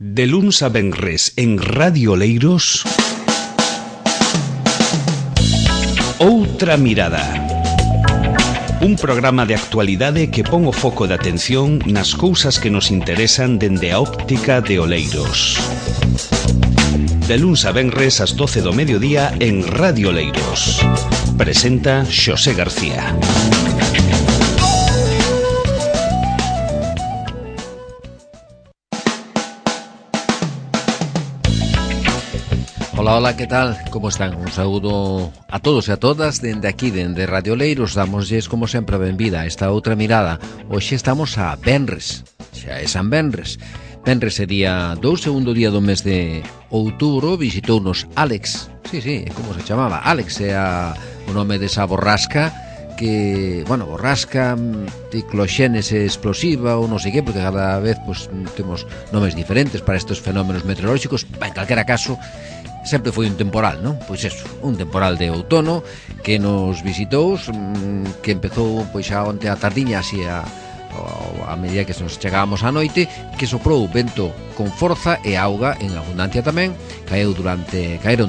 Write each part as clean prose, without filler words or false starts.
De luns a venres en Radio Oleiros, Outra Mirada. Un programa de actualidade que pon o foco de atención nas cousas que nos interesan dende a óptica de Oleiros. De luns a venres ás 12 do mediodía en Radio Oleiros. Presenta Xosé García. Hola, ¿qué tal? ¿Cómo están? Un saúdo a todos e a todas dende aquí, dende Radio Oleiros. Damosles, como sempre, a benvida a esta outra mirada. Hoxe estamos a Venres, xa é San Venres. Venres é día 2, segundo día do mes de outubro. Visitounos Alex, sí, como se chamaba? Alex é o nome desa borrasca que, borrasca, cicloxénese explosiva ou non sei que, porque cada vez temos nomes diferentes para estes fenómenos meteorolóxicos. En calquera caso, sempre foi un temporal, non? Pois eso, un temporal de outono que nos visitou, que empezou xa onte a tardiña, así a medida que nos chegábamos á noite, que soprou vento con forza e auga en abundancia tamén. Caeron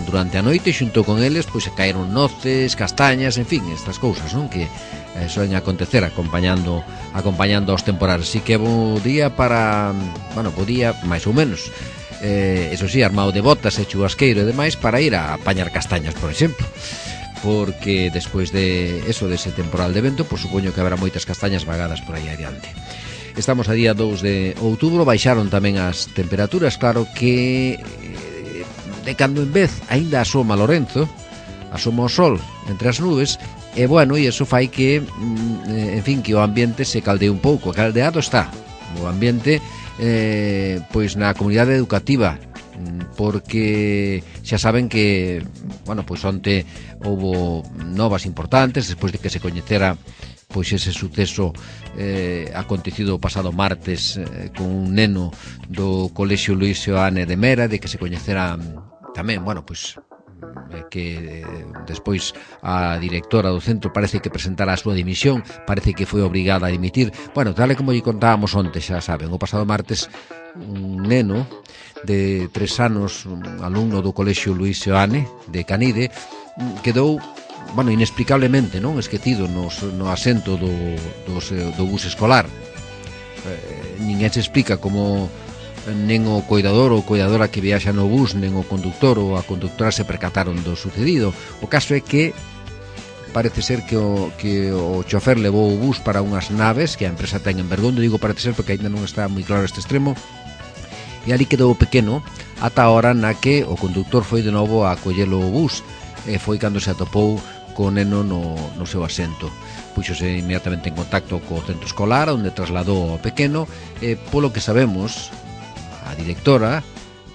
durante a noite, xunto con eles caeron noces, castañas, en fin, estas cousas, non? Que soen acontecer acompañando aos temporales. Así que é bo día para, bo día máis ou menos, eso sí, armado de botas e chubasqueiro e demais para ir a apañar castañas, por exemplo, porque despois de eso, dese temporal de vento, supoño que haberá moitas castañas vagadas por aí adiante. Estamos a día 2 de outubro, baixaron tamén as temperaturas, claro que de cando en vez aínda asoma Lorenzo, asoma o sol entre as nubes, e iso fai que, en fin, que o ambiente se caldee un pouco. Caldeado está o ambiente na comunidade educativa, porque xa saben que onte houbo novas importantes despois de que se coñecera ese suceso acontecido o pasado martes con un neno do Colexio Luís Seoane de Mera, de que se coñecera tamén, que despois a directora do centro parece que presentara a súa dimisión, parece que foi obrigada a dimitir. Tal e como lle contábamos onte, xa saben, o pasado martes un neno de 3 anos, un alumno do Colexio Luís Seoane de Canide, quedou inexplicablemente esquecido no asento do bus escolar. Ninguén se explica como nen o coidador ou coidadora que viaxa no bus, nen o conductor ou a conductora se percataron do sucedido. O caso é que parece ser que o chofer levou o bus para unhas naves que a empresa ten en Bergondo. Digo parece ser porque ainda non está moi claro este extremo, e ali quedou pequeno ata a hora na que o conductor foi de novo a collelo o bus, e foi cando se atopou co neno no seu asento. Puxose inmediatamente en contacto co centro escolar, onde trasladou o pequeno, e polo que sabemos, a directora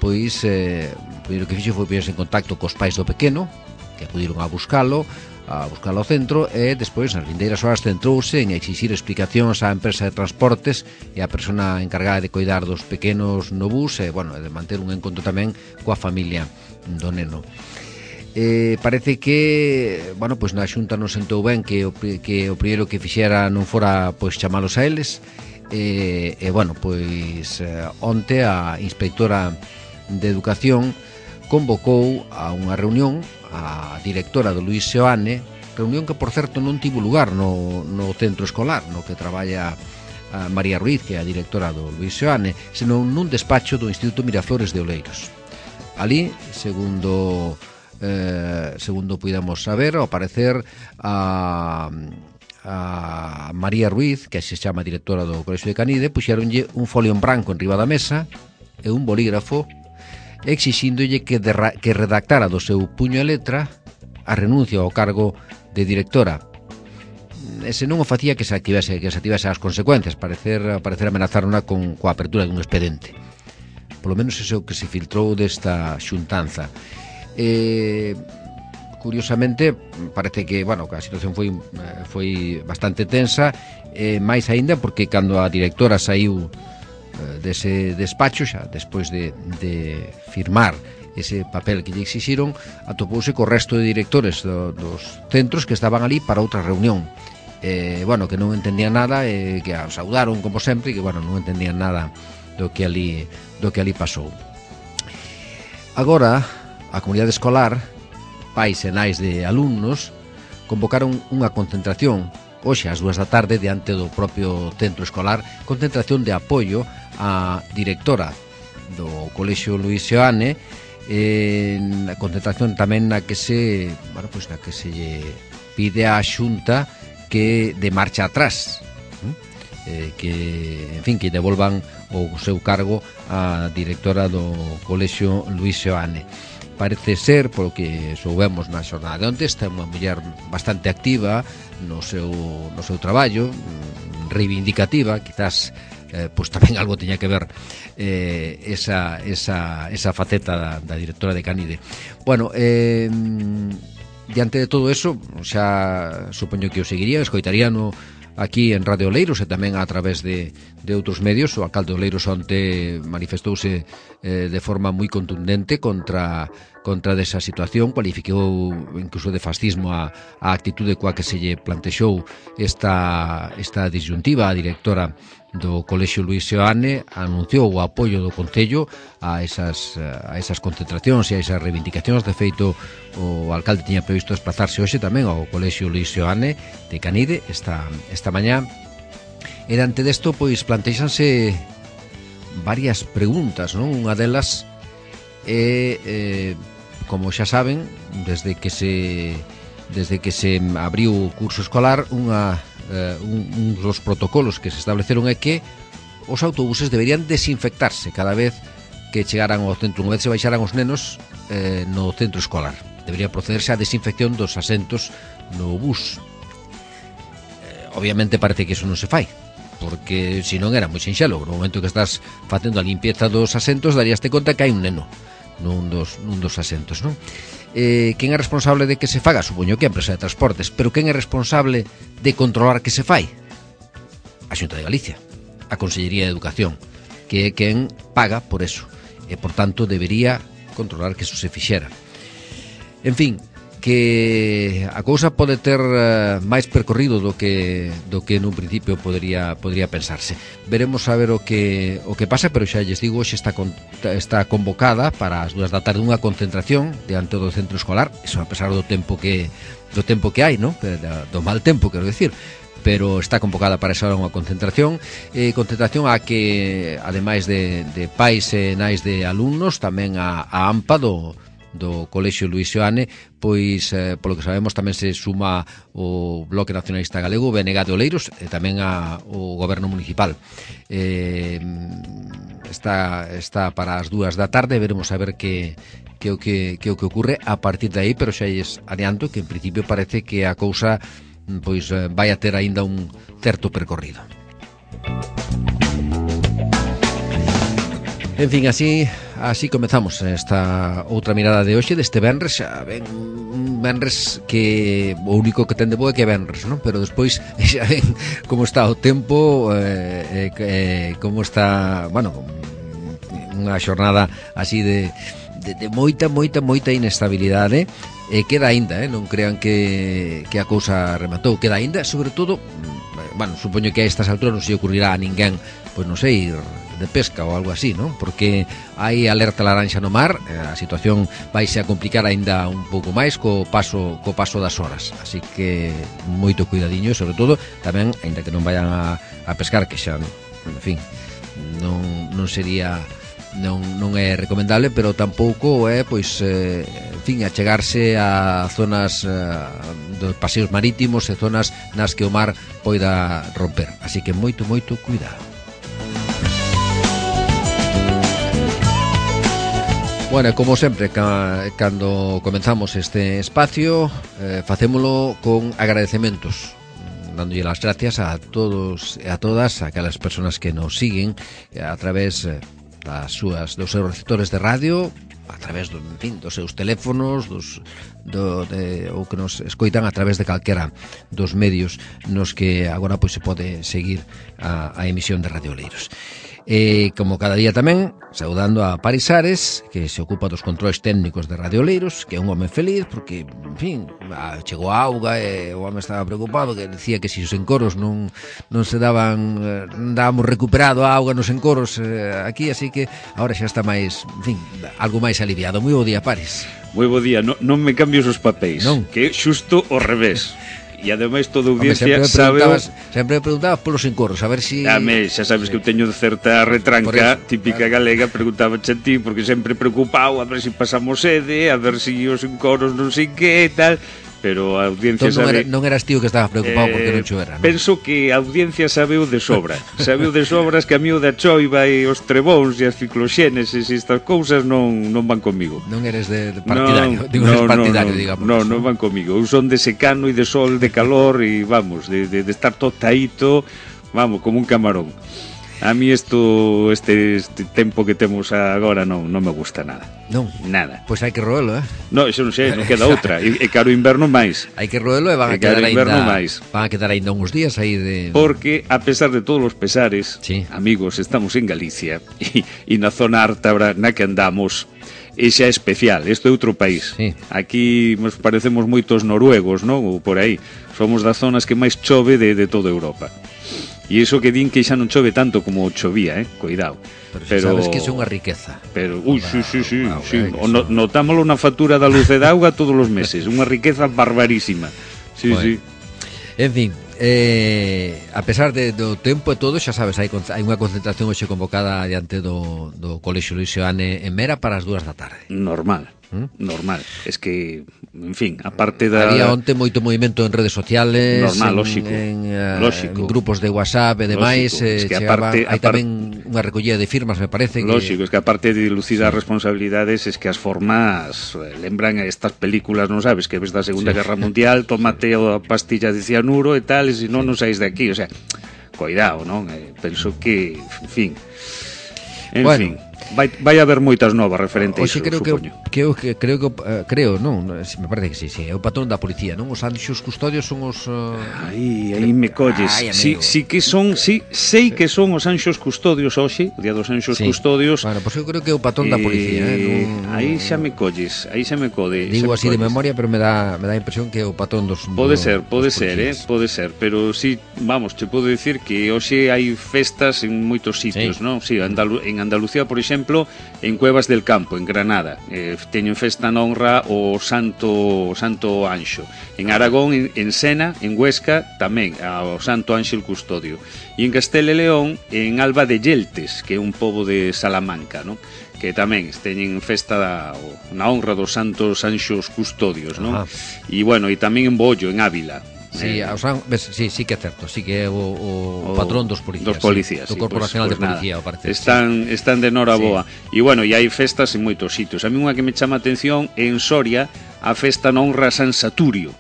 o que fixo foi poñerse en contacto cos pais do pequeno, que acudiron a buscalo ao centro, e despois nas vindeiras horas centrouse en exixir explicacións á empresa de transportes e á persona encargada de coidar dos pequenos no bus, e de manter un encontro tamén coa familia do neno. Parece que na Xunta non sentou ben que o primeiro que fixera non fora chamalos a eles. Onte a inspectora de Educación convocou a unha reunión a directora do Luís Seoane, reunión que, por certo, non tivo lugar no centro escolar no que traballa a María Ruiz, que é a directora do Luís Seoane, senón nun despacho do Instituto Miraflores de Oleiros. Ali, segundo puidamos saber, ao parecer a María Ruiz, que se chama directora do Colexio de Canide, puxeronlle un folio en branco en riba da mesa e un bolígrafo exixíndolle que redactara do seu puño e letra a renuncia ao cargo de directora. E se non o facía, que se activase as consecuencias, parecer amenazarona coa apertura dun expediente. Polo menos iso que se filtrou desta xuntanza. Curiosamente, parece que a situación foi bastante tensa, máis aínda porque cando a directora saiu dese despacho, xa despois de firmar ese papel que lle exixiron, atopouse co resto de directores dos centros que estaban ali para outra reunión, que non entendían nada, que a saudaron como sempre, e que non entendían nada do que ali que ali pasou. Agora, a comunidade escolar, pais e nais de alumnos, convocaron unha concentración hoxe ás 2 da tarde diante do propio centro escolar, concentración de apoio á directora do Colexio Luís Seoane, na concentración tamén na que se pide á Xunta que de marcha atrás, que, en fin, que devolvan o seu cargo á directora do Colexio Luís Seoane. Parece ser, polo que soubemos na xornada de onte, está unha muller bastante activa no seu traballo, reivindicativa, quizás pois tamén algo teña que ver esa faceta da directora de Canide. Bueno, diante de todo eso, xa supoño que o seguirían, escoitaríano aquí en Radio Oleiros e tamén a través de outros medios. O alcalde de Oleiros onte manifestouse de forma moi contundente contra desa situación, cualificou incluso de fascismo a actitude coa que se lle plantexou esta disyuntiva. A directora do Colexio Luís Seoane anunciou o apoio do Concello a esas concentracións e a esas reivindicacións. De feito, o alcalde tiña previsto desplazarse hoxe tamén ao Colexio Luís Seoane de Canide esta mañá. E diante desto, pois, plantexanse varias preguntas, non? Unha delas é, como xa saben, desde que se abriu o curso escolar, un dos protocolos que se estableceron é que os autobuses deberían desinfectarse cada vez que chegaran ao centro, unha vez se baixaran os nenos no centro escolar. Debería procederse á desinfección dos asentos no bus. Obviamente parece que iso non se fai, porque se non era moi sinxelo. No momento que estás facendo a limpieza dos asentos, daríaste conta que hai un neno nun dos asentos, non? Quen é responsable de que se faga? Supoño que a empresa de transportes, pero quen é responsable de controlar que se fai? A Xunta de Galicia, a Consellería de Educación, que é quen paga por eso, e por tanto debería controlar que eso se fixera. En fin, que a cousa pode ter máis percorrido do que nun principio podría pensarse. Veremos a ver o que pasa, pero xa lles digo, hoxe está convocada para as 2 da tarde unha concentración diante do centro escolar, eso a pesar do tempo que hai, non? Do mal tempo, quero decir, pero está convocada para esa hora unha concentración a que, ademais de pais e nais de alumnos, tamén a AMPA do Colexio Luís Seoane, pois, polo que sabemos, tamén se suma o Bloque Nacionalista Galego, o BNG de Oleiros, e tamén o Goberno Municipal. Está para as 2 da tarde, veremos a ver que o que ocurre a partir de aí, pero xa lles adianto que en principio parece que a cousa pois vai a ter aínda un certo percorrido. En fin, así comezamos esta outra mirada de hoxe, deste venres. Xa ven un venres que o único que ten de bo é que é venres, non? Pero despois xa ven como está o tempo, como está, bueno, unha xornada así de moita inestabilidade. Queda aínda, non crean que a cousa rematou, queda aínda, sobre todo, bueno, supoño que a estas alturas non se ocurrirá a ninguén, pois non sei, ir de pesca ou algo así, non? Porque hai alerta laranxa no mar, a situación vaise a complicar aínda un pouco máis co paso das horas, así que moito cuidadiño, e sobre todo tamén, aínda que non vayan a pescar, que xa, en fin, non sería, non é recomendable, pero tampouco é, pois, en fin, achegarse a zonas dos paseos marítimos e zonas nas que o mar poida romper, así que moito cuidado. Bueno, como sempre, cando comenzamos este espacio, facémolo con agradecementos, dándolle as gracias a todos e a todas aquelas persoas que nos siguen a través dos seus receptores de radio, a través dos seus teléfonos, ou que nos escoitan a través de calquera dos medios nos que agora pois se pode seguir a emisión de Radio Oleiros. Como cada día tamén, saudando a Paris Ares, que se ocupa dos controles técnicos de Radio Oleiros, que é un home feliz porque, en fin, chegou a auga e o home estaba preocupado, que decía que se os encoros non se daban, non dábamos recuperado a auga nos encoros aquí, así que agora xa está máis, en fin, algo máis aliviado. Moi bo día, Paris. Moi bo día, non me cambios os papéis, non? Que é xusto ao revés. E ademais toda a audiencia sabe... Sempre me preguntaba polos encorros, a ver si... Xa sabes que eu teño certa retranca típica galega, preguntaba a ti, porque sempre preocupado a ver si pasamos sede, a ver si os encorros non sei que e tal... Pero a audiencia entón, sabe... Non eras tío que estabas preocupado porque non chovera, non? Penso que a audiencia sabeu de sobra. Sabeu de sobras que a mí o da choiva e os trebóns e as cicloxéneses e estas cousas non van comigo. Non eres de partidario, digamos. Non van comigo. Eu son de secano e de sol, de calor e vamos, de estar todo taíto, vamos, como un camarón. A mí este tempo que temos agora non me gusta nada. Non? Nada. Pois hai que roelo, Non, iso non sei, non queda outra. E caro inverno máis. Hai que roelo e van a quedar ainda uns días aí de... Porque, a pesar de todos os pesares, sí, amigos, estamos en Galicia e na zona ártabra na que andamos e xa é especial, isto é outro país. Sí. Aquí nos parecemos moitos noruegos, non? Ou por aí. Somos das zonas que máis chove de toda Europa. E iso que din que xa non chove tanto como chovía, cuidado. Pero sabes que iso é unha riqueza. Pero, sí. Notámoslo na factura da luz e da auga todos os meses, unha riqueza barbarísima. Sí, bueno. Sí. En fin, a pesar do tempo e todo, xa sabes, hai unha concentración hoxe convocada diante do Colexio Luis Seoane en Mera para as 2 da tarde. Normal. Es que, en fin, aparte da... Había onte moito movimento en redes sociales, normal, lógico. En grupos de WhatsApp e demais, es que aparte, hai tamén unha recollida de firmas, me parece. Lógico, es que aparte de dilucidar responsabilidades, es que as formas lembran a estas películas, non sabes, que ves da Segunda Guerra Mundial, tómate a pastilla de cianuro e tal, e se non saís de aquí, o sea, cuidado, non? Penso que, en fin... En fin, vai haber moitas novas referente a iso, supoño. Creo, non, me parece que sí, é o patrón da policía, non? Os anxos custodios son os... Aí me colles. Sí que son, sei que son os anxos custodios hoxe, o día dos anxos custodios. Bueno, pois eu creo que é o patrón da policía, Aí xa me colles, aí xa me code. Digo así de memoria, pero me dá a impresión que é o patrón dos... Pode ser, pode ser, pero sí, vamos, te podo dicir que hoxe hai festas en moitos sitios, non? Sí, en Andalucía, por exemplo, en Cuevas del Campo, en Granada, teñen festa na honra o Santo Anxo. En Aragón, en Sena, en Huesca, tamén ao Santo Ánxel Custodio. E en Castela e León, en Alba de Yeltes, que é un pobo de Salamanca, non? Que tamén teñen festa na honra dos Santos Anxos Custodios, non? E bueno, e tamén en Bollo, en Ávila. Sí, sí que é certo, sí que é o patrón dos policías, do Corpo Nacional de Policía, parece. Están de noraboa. E bueno, e hai festas en moitos sitios. A mí unha que me chama a atención é en Soria, a festa na honra a San Saturio.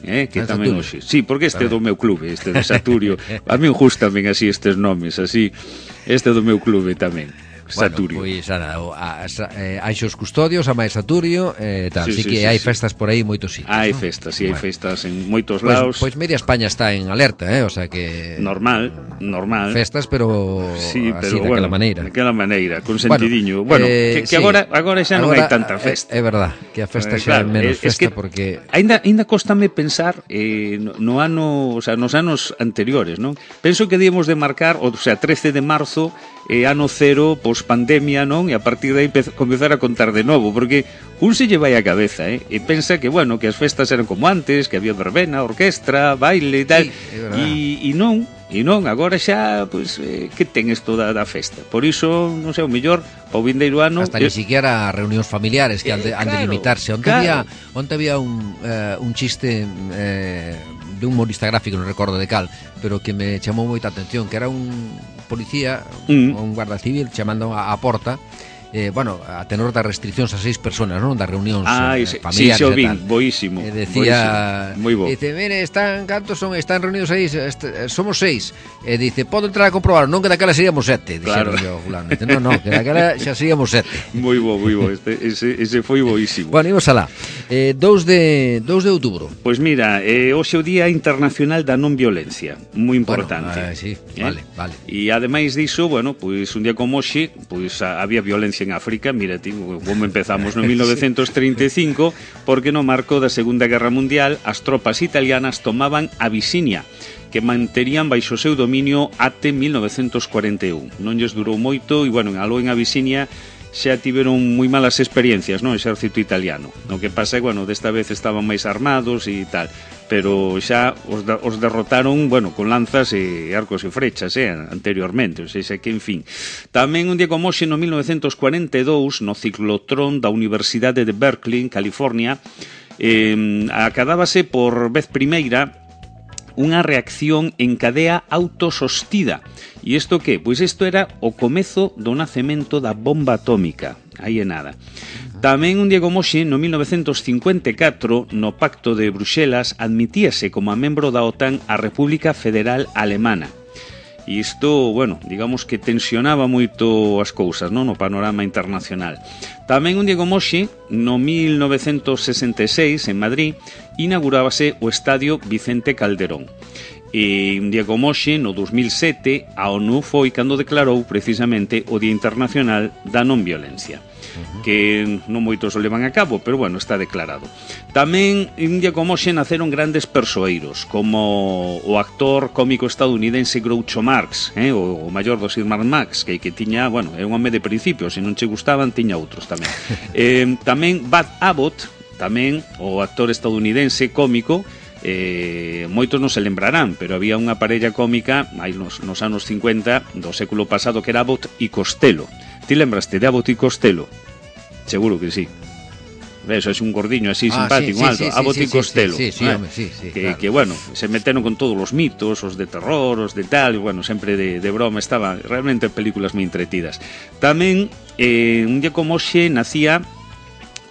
Que tamén hoxe. Sí, porque este é do meu clube, este de Saturio. A mí gustan ben así estes nomes, así. Este é do meu clube tamén. Saturio. Bueno, pois Anxos Custodios, a máis Saturio, tal, sí que hai festas por aí moitos sitios. Hai festas, hai festas en moitos lados. Pois media España está en alerta, o sea que normal. Festas, pero así daquela maneira. Daquela maneira, con sentidiño. Bueno, que agora xa non hai tanta festa. É verdad, que a festa xa é menos festa porque Ainda cóstame pensar no ano, o sea, nos anos anteriores, non? Penso que debemos de marcar, o sea, 13 de marzo ano cero, pospandemia, non? E a partir de aí comezar a contar de novo, porque un se lle vai a cabeza, e pensa que, bueno, que as festas eran como antes, que había verbena, orquestra, baile e tal, e non, agora xa, pois, que ten isto da festa? Por iso, non sei, o mellor, o vindeiro ano... Hasta ni siquiera reunións familiares que han de limitarse. Onte había un chiste de un humorista gráfico, non recordo de cal, pero que me chamou moita atención, que era un policía, un guarda civil, chamando a porta, bueno, a tenor das restriccións a 6 personas, non? Das reunións Sí, familiares xo vin, boísimo. Decía, moi bo. Dice, mire, están reunidos aí, somos 6. E dice, podo entrar a comprobar, non que daquela seríamos 7. Claro. Dice, non, que daquela xa seríamos 7. Moi bo. Ese foi boísimo. Bueno, imos alá. 2 de outubro. Pois mira, hoxe é o Día Internacional da Non Violencia, moi importante. Bueno, sí, vale. E ademais diso, bueno, pois un día como hoxe, pois había violencia en África. Mira, como empezamos no 1935, porque no marco da Segunda Guerra Mundial as tropas italianas tomaban Abisinia, que manterían baixo seu dominio até 1941. Non lles durou moito e, bueno, aló en Abisinia xa tiveron moi malas experiencias, no exército italiano. O que pasa é, bueno, desta vez estaban máis armados e tal, pero xa os derrotaron, bueno, con lanzas e arcos e frechas, anteriormente, ou seja, que, en fin. Tamén un día como hoxe, no 1942, no ciclotrón da Universidade de Berkeley, en California, acadábase por vez primeira unha reacción en cadea autosostida. E isto que? Pois isto era o comezo do nacemento da bomba atómica. Aí é nada. Tamén un día como hoxe, no 1954, no Pacto de Bruxelas, admitíase como a membro da OTAN a República Federal Alemana. E isto, bueno, digamos que tensionaba moito as cousas, non? No panorama internacional. Tamén un día como hoxe, no 1966, en Madrid, inaugurábase o Estadio Vicente Calderón. E un día como hoxe, no 2007, a ONU foi cando declarou precisamente o Día Internacional da Non Violencia, que non moitos o levan a cabo, pero bueno, está declarado. Tamén un día como hoxe naceron grandes persoeiros, como o actor cómico estadounidense Groucho Marx, o maior dos irmáns Marx, que tiña, bueno, é un home de principio, se non che gustaban, tiña outros tamén. Tamén Bud Abbott, tamén o actor estadounidense cómico, moitos non se lembrarán, pero había unha parella cómica aí nos anos 50 do século pasado que era Abbott e Costello. Ti lembraste de Abbott e Costello? Seguro que sí. Eso es un gordiño así simpático, alto, Abbott e Costello. Que bueno, se meteron con todos os mitos, os de terror, os de tal, e bueno, sempre de broma, estaba realmente películas moi entretidas. Tamén un día como hoxe nacía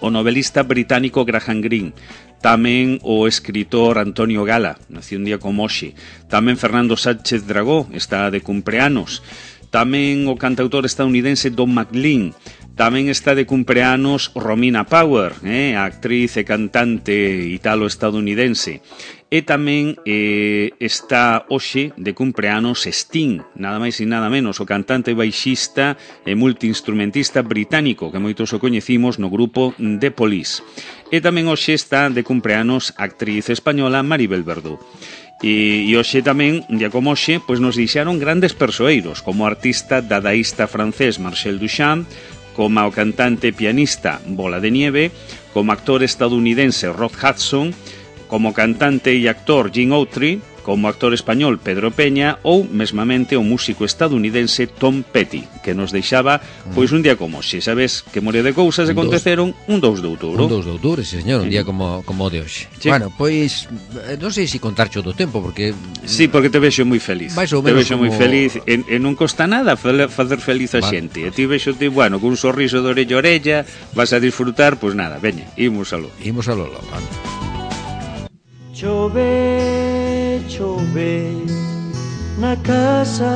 o novelista británico Graham Greene. Tamén o escritor Antonio Gala, nació un día como hoxe. Tamén Fernando Sánchez Dragó está de cumpleanos. Tamén o cantautor estadounidense Don McLean. Tamén está de cumpleanos Romina Power, a actriz e cantante italo-estadounidense. E tamén está hoxe de cumpleanos Sting, nada máis e nada menos, o cantante baixista e multiinstrumentista británico, que moitos o coñecimos no grupo The Police. E tamén hoxe está de cumpleanos a actriz española Maribel Verdú. E hoxe tamén, un día como hoxe, pois nos deixaron grandes persoeiros, como o artista dadaísta francés Marcel Duchamp, como o cantante e pianista Bola de Nieve, como actor estadounidense Rod Hudson, como cantante e actor Gene Autry, como actor español Pedro Peña ou mesmamente o músico estadounidense Tom Petty, que nos deixaba pois un día como hoxe. Sabes que morea de cousas aconteceron un 2 de outubro. Un 2 de outubro, sí, señor, un día como o de hoxe. Sí. Bueno, pois non sei se contarcho do tempo porque sí, porque te vexo moi feliz. Te vexo moi feliz e non costa nada facer feliz a xente. E ti vexo bueno, con un sorriso de orella a orella, vas a disfrutar, pois nada, veña, imos aló. Vale. Chove na casa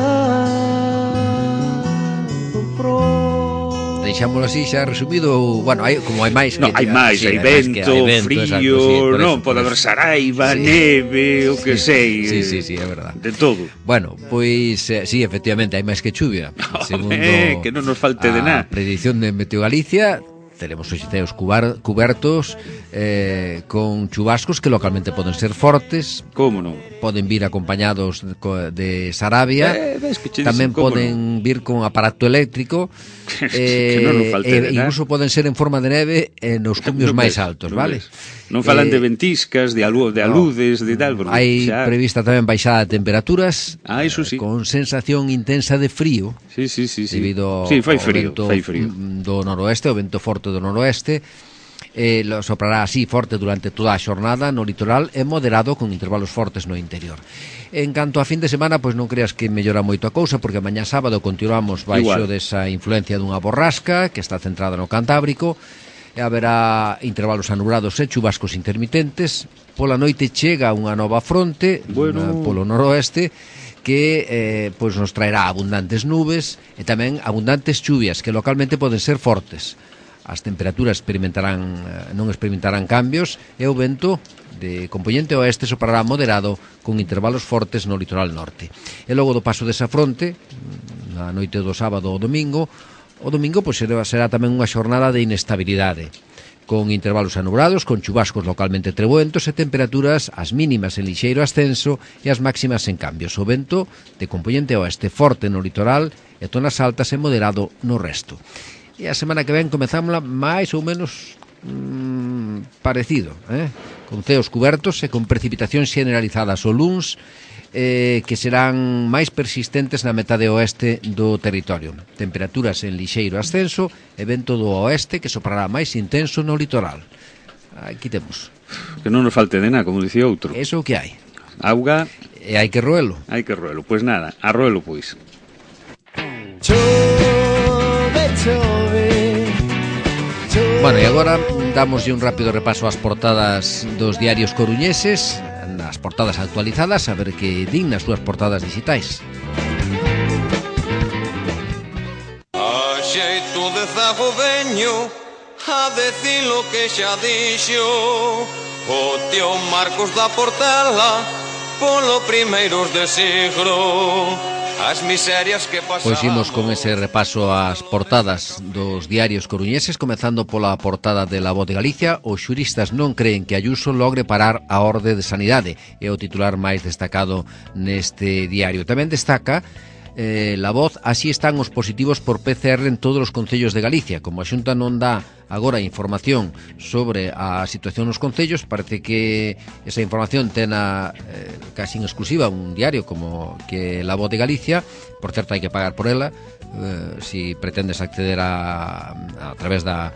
do pro. Deixámoslo así xa resumido. Bueno, hai máis. No, hai máis, hai vento, frío, non, pode haber saraiva, neve, o que sei. Sí, é verdade. De todo. Bueno, pois sí, efectivamente, hai máis que chuvia. Segundo que non nos falte de nada. A predicción de Meteo Galicia, teremos os ceos cubertos con chubascos que localmente poden ser fortes. Como non? Poden vir acompañados de sarabia. Tamén poden vir con aparato eléctrico. Que non nos falte de nada. Incluso poden ser en forma de neve nos cumios máis altos, vale? Non falan de ventiscas, de aludes, de tal. Hai prevista tamén baixada de temperaturas. Iso sí. Con sensación intensa de frío. Sí. Debido fai frío, ao vento do noroeste, o vento forte do noroeste. Soprará así forte durante toda a xornada no litoral e moderado con intervalos fortes no interior. En canto a fin de semana, pois non creas que mellora moito a cousa, porque mañá sábado continuamos baixo desa influencia dunha borrasca que está centrada no Cantábrico, e haberá intervalos anulados e chubascos intermitentes. Pola noite chega unha nova fronte polo noroeste que pois nos traerá abundantes nubes e tamén abundantes chuvias que localmente poden ser fortes. As temperaturas non experimentarán cambios e o vento de componente oeste soprará moderado con intervalos fortes no litoral norte. E logo do paso desa fronte, na noite do sábado ao domingo, pois será tamén unha xornada de inestabilidade, con intervalos anubrados, con chubascos localmente treboentos e temperaturas as mínimas en lixeiro ascenso e as máximas en cambios. O vento de componente oeste forte no litoral e zonas altas e moderado no resto. E a semana que ven comezámosla máis ou menos parecido, con ceos cubertos e con precipitacións generalizadas o luns, que serán máis persistentes na metade oeste do territorio. Temperaturas en lixeiro ascenso e vento do oeste que soprará máis intenso no litoral. Aquí temos. Que non nos falte de nada, como dicía outro. Eso o que hai. Auga. E hai que roelo. Hai que roelo. Pois nada, a roelo pois. Bueno, e agora damoslle un rápido repaso ás portadas dos diarios coruñeses, as portadas actualizadas, a ver que din nas súas portadas digitais. A xeito de zago veño a decir lo que xa dixo o tío Marcos da Portela polo primeiros de siglo. As miserias que pasamos. Pois imos con ese repaso ás portadas dos diarios coruñeses, comezando pola portada de La Voz de Galicia. Os xuristas non creen que Ayuso logre parar a orde de sanidade, é o titular máis destacado neste diario. Tamén destaca La Voz, así están os positivos por PCR en todos os concellos de Galicia. Como a Xunta non dá agora información sobre a situación nos concellos, parece que esa información ten casi en exclusiva un diario como que La Voz de Galicia. Por certo, hai que pagar por ela si pretendes acceder a través da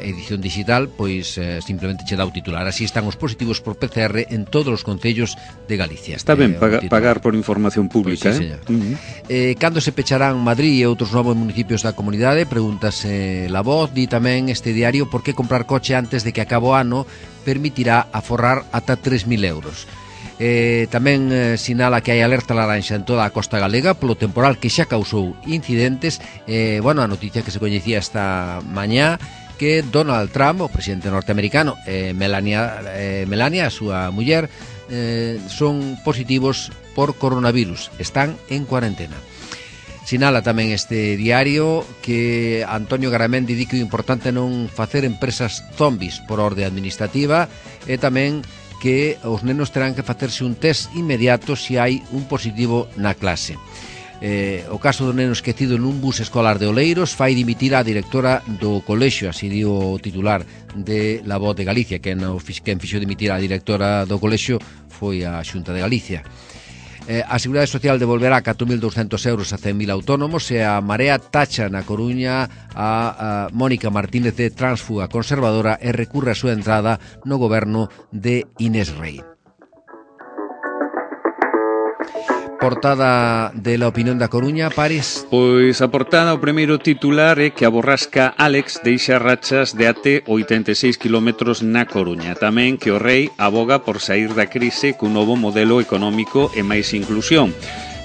edición digital, pois simplemente che dá o titular. Así están os positivos por PCR en todos os concellos de Galicia. Está ben pagar por información pública, pois sí, cando se pecharán Madrid e outros novos municipios da comunidade? Pregúntase La Voz. Di tamén este diario por que comprar coche antes de que acabe o ano permitirá aforrar ata 3.000 euros. Tamén sinala que hai alerta laranxa en toda a costa galega polo temporal que xa causou incidentes. A noticia que se coñecía esta mañá, que Donald Trump, o presidente norteamericano, Melania, a súa muller, son positivos por coronavirus, están en cuarentena. Sinala tamén este diario que Antonio Garamendi di que o importante é non facer empresas zombies por orde administrativa, e tamén que os nenos terán que facerse un test inmediato se hai un positivo na clase. O caso do neno esquecido nun bus escolar de Oleiros fai dimitir a directora do colexio, así dio o titular de La Voz de Galicia. Quen fixo dimitir a directora do colexio foi a Xunta de Galicia. A Seguridade Social devolverá 4.200 euros a 100.000 autónomos, e a Marea tacha na Coruña a Mónica Martínez de tránsfuga conservadora e recurre a súa entrada no goberno de Inés Rei. Portada de La Opinión da Coruña, Paris. Pois a portada, o primeiro titular é que a borrasca Álex deixa rachas de até 86 km na Coruña. Tamén que o Rei aboga por sair da crise cun novo modelo económico e máis inclusión.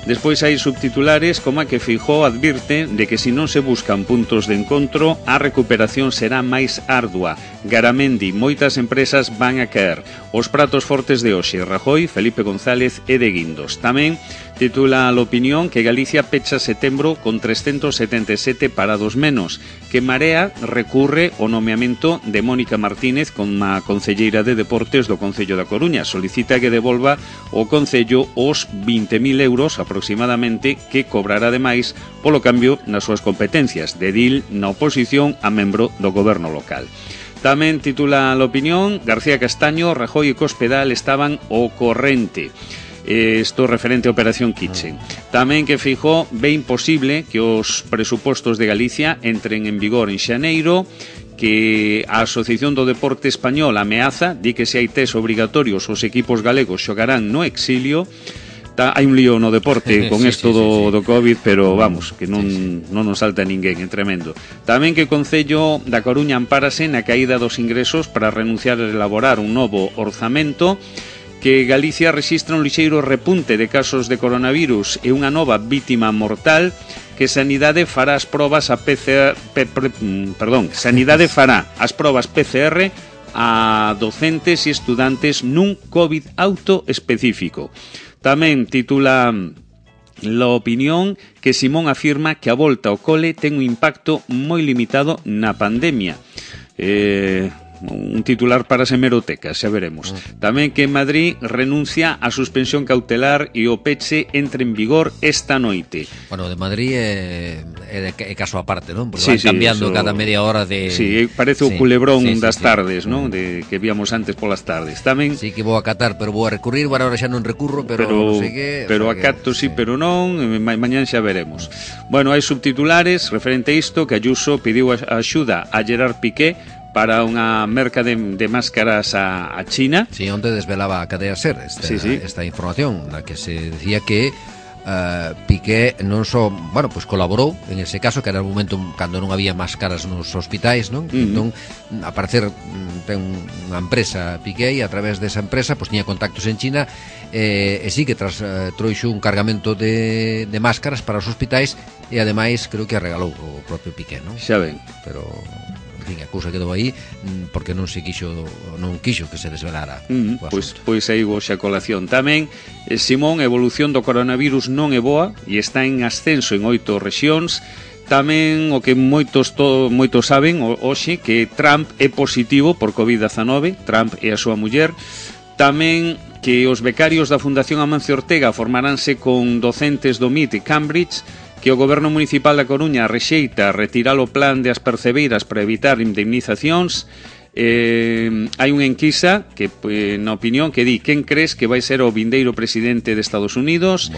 Despois hai subtitulares como a que Feijóo advirte de que se non se buscan puntos de encontro, a recuperación será máis ardua. Garamendi, moitas empresas van a caer. Os pratos fortes de hoxe, Rajoy, Felipe González e de Guindos. Tamén titula a L'Opinión que Galicia pecha setembro con 377 parados menos, que Marea recurre ao nomeamento de Mónica Martínez como concelleira de Deportes do Concello da Coruña. Solicita que devolva o Concello os 20.000 euros aproximadamente que cobrará ademais polo cambio nas súas competencias de edil na oposición a membro do goberno local. Tamén titula a L'Opinión, García Castaño, Rajoy e Cospedal estaban ao corrente. Isto referente a Operación Kitchen. Tamén que Feijóo ve imposible que os presupostos de Galicia entren en vigor en xaneiro, que a Asociación do Deporte Español ameaza, di que se hai test obrigatorios os equipos galegos xogarán no exilio. Hai un lío no deporte con isto do COVID, pero vamos, que non nos salta ninguén, é tremendo. Tamén que o Concello da Coruña ampárase na caída dos ingresos para renunciar a elaborar un novo orzamento, que Galicia rexistra un lixeiro repunte de casos de coronavirus e unha nova vítima mortal, que Sanidade fará as probas a Sanidade fará as probas PCR a docentes e estudantes nun COVID auto específico. Tamén titula La Opinión que Simón afirma que a volta ao cole ten un impacto moi limitado na pandemia. Un titular para as hemerotecas, xa veremos. Tamén que en Madrid renuncia a suspensión cautelar e o peche entre en vigor esta noite. Bueno, de Madrid é caso aparte, non? Porque van cambiando cada media hora de... Sí, parece o culebrón das tardes, non? De que víamos antes polas tardes. Tamén... Sí, que vou a acatar, pero vou a recurrir, bueno, ahora xa non recurro, pero non sei que... Pero acato sí, pero non, mañán xa veremos. Bueno, hai subtitulares referente a isto, que Ayuso pediu axuda a Gerard Piqué para unha merca de máscaras a China. Sí, onde desvelaba a cadea SER esta información, na que se decía que Piqué non só, bueno, pues colaborou en ese caso, que era o momento cando non había máscaras nos hospitais, non? Entón, a parecer ten unha empresa Piqué, e a través desa empresa pues tiña contactos en China, e sí que trouxo un cargamento de máscaras para os hospitais, e ademais creo que a regalou o propio Piqué, non? Xa ben. Pero... en fin, a cousa quedou aí porque non quixo que se desvelara. Pois aí xa colación. Tamén, Simón, a evolución do coronavirus non é boa e está en ascenso en 8 rexións. Tamén o que moitos saben hoxe, que Trump é positivo por COVID-19, Trump e a súa muller. Tamén que os becarios da Fundación Amancio Ortega formaránse con docentes do MIT e Cambridge, que o Goberno Municipal da Coruña rexeita retirar o plan de as percebeiras para evitar indemnizacións. Hai unha enquisa que, na opinión, que di quen crees que vai ser o vindeiro presidente de Estados Unidos.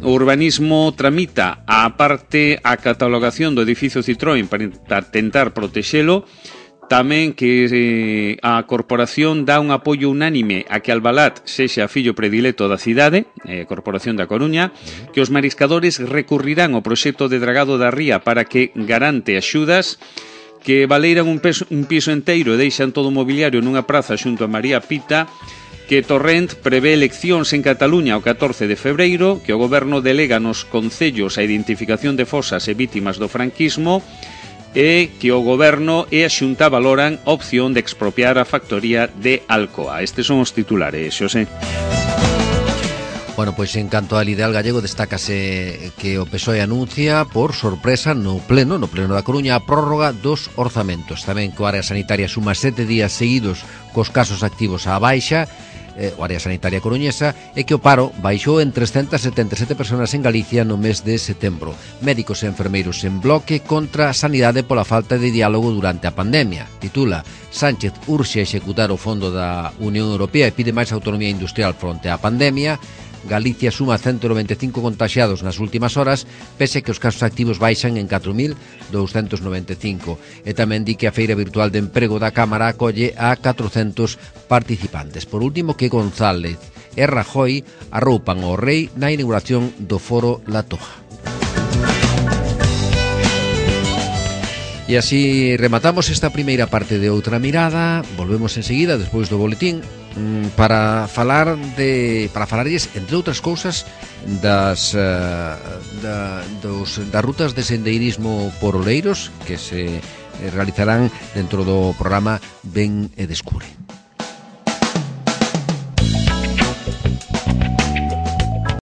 O urbanismo tramita a catalogación do edificio Citroën para tentar protexelo. Tamén que a corporación dá un apoio unánime a que Albalat sexa fillo predileto da cidade, a Corporación da Coruña, que os mariscadores recurrirán ao proxecto de dragado da ría para que garante axudas, que valeiran un piso enteiro e deixan todo o mobiliario nunha praza xunto a María Pita, que Torrent prevé eleccións en Cataluña o 14 de febreiro, que o goberno delega nos concellos a identificación de fosas e vítimas do franquismo, e que o goberno e a Xunta valoran a opción de expropiar a factoría de Alcoa. Estes son os titulares, Xosé. Bueno, pois en canto al ideal gallego, destácase que o PSOE anuncia por sorpresa no pleno da Coruña a prórroga dos orzamentos. Tamén que o área sanitaria suma 7 días seguidos cos casos activos á baixa, o área sanitaria coruñesa, e que o paro baixou en 377 personas en Galicia no mes de setembro. Médicos e enfermeiros en bloque contra a sanidade pola falta de diálogo durante a pandemia. Titula: Sánchez urxe a executar o fondo da Unión Europea e pide máis autonomía industrial fronte á pandemia. Galicia suma 195 contaxiados nas últimas horas, pese que os casos activos baixan en 4.295. E tamén di que a feira virtual de emprego da Cámara acolle a 400 participantes. Por último, que González e Rajoy arroupan ao rei na inauguración do Foro La Toja. E así rematamos esta primeira parte de Outra Mirada. Volvemos enseguida, despois do boletín, para falarlles, entre outras cousas, das rutas de sendeirismo por Oleiros que se realizarán dentro do programa Ven e Descubre.